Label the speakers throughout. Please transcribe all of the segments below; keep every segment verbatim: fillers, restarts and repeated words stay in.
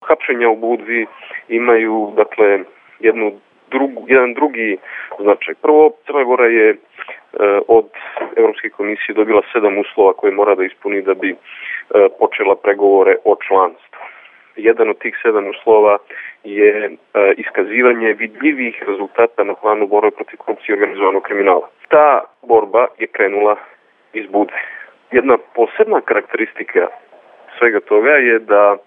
Speaker 1: hapšenja u Budvi imaju, dakle, jednu drugu, jedan drugi značaj. Prvo, Crna Gora je e, od Evropske komisije dobila sedam uslova koje mora da ispuni da bi e, počela pregovore o članstvu. Jedan od tih sedam uslova je e, iskazivanje vidljivih rezultata na planu borbe protiv korupcije i organizovanog kriminala. Ta borba je krenula iz Budve. Jedna posebna karakteristika svega toga je da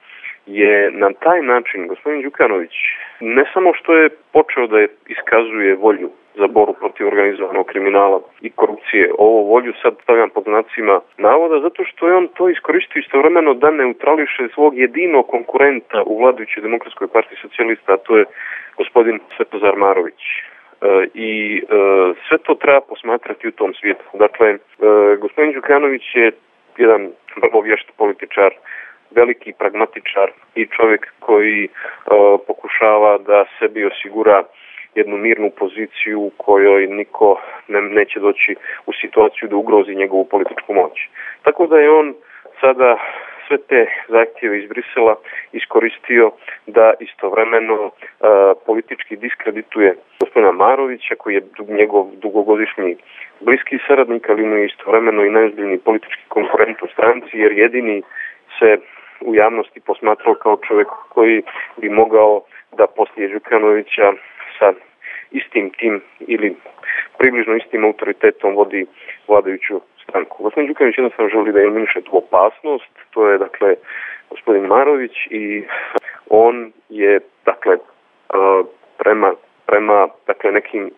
Speaker 1: je na taj način gospodin Đukanović ne samo što je počeo da je iskazuje volju za borbu protiv organizovanog kriminala i korupcije, ovo volju sad stavljam pod znacima navoda, zato što je on to iskoristio istovremeno da neutrališe svog jedinog konkurenta u vladajućoj Demokratskoj partiji socijalista, a to je gospodin Svetozar Marović. E, I e, sve to treba posmatrati u tom svijetu. Dakle, e, gospodin Đukanović je jedan vrlo vješt političar, veliki pragmatičar i čovjek koji e, pokušava da sebi osigura jednu mirnu poziciju u kojoj niko ne, neće doći u situaciju da ugrozi njegovu političku moć. Tako da je on sada sve te zahtjeve iz Brisela iskoristio da istovremeno e, politički diskredituje gospodina Marovića, koji je njegov dugogodišnji bliski saradnik, ali mu je istovremeno i najozbiljniji politički konkurent u stranci, jer jedini se u javnosti posmatrao kao čovjek koji bi mogao da poslije Đukanovića sa istim tim ili približno istim autoritetom vodi vladajuću stranku. Gospodin Đukanović jednostavno želi da eliminiše tu opasnost, to je dakle gospodin Marović i on je dakle prema, prema dakle nekim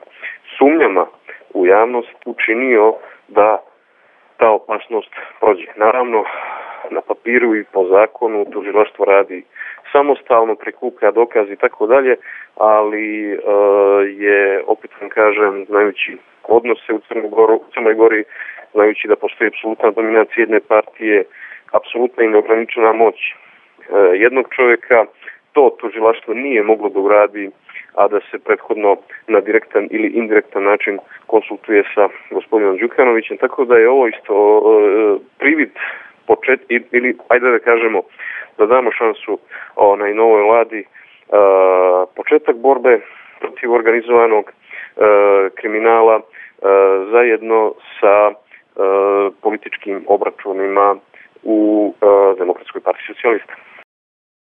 Speaker 1: sumnjama u javnost učinio da ta opasnost prođe. Naravno, na papiru i po zakonu tužilaštvo radi samostalno, prikuplja dokaze i tako dalje, ali e, je, opet vam kažem, znajući odnose u Crnoj Gori, u Crnoj Gori, znajući da postoji apsolutna dominacija jedne partije, apsolutna i neograničena moć e, jednog čovjeka, to tužilaštvo nije moglo da uradi, a da se prethodno na direktan ili indirektan način konsultuje sa gospodinom Đukanovićem, tako da je ovo isto e, privid počet, ili ajde da kažemo da damo šansu onaj novoj vladi e, početak borbe protiv organizovanog e, kriminala e, zajedno sa e, političkim obračunima u e, Demokratskoj partiji socijalista.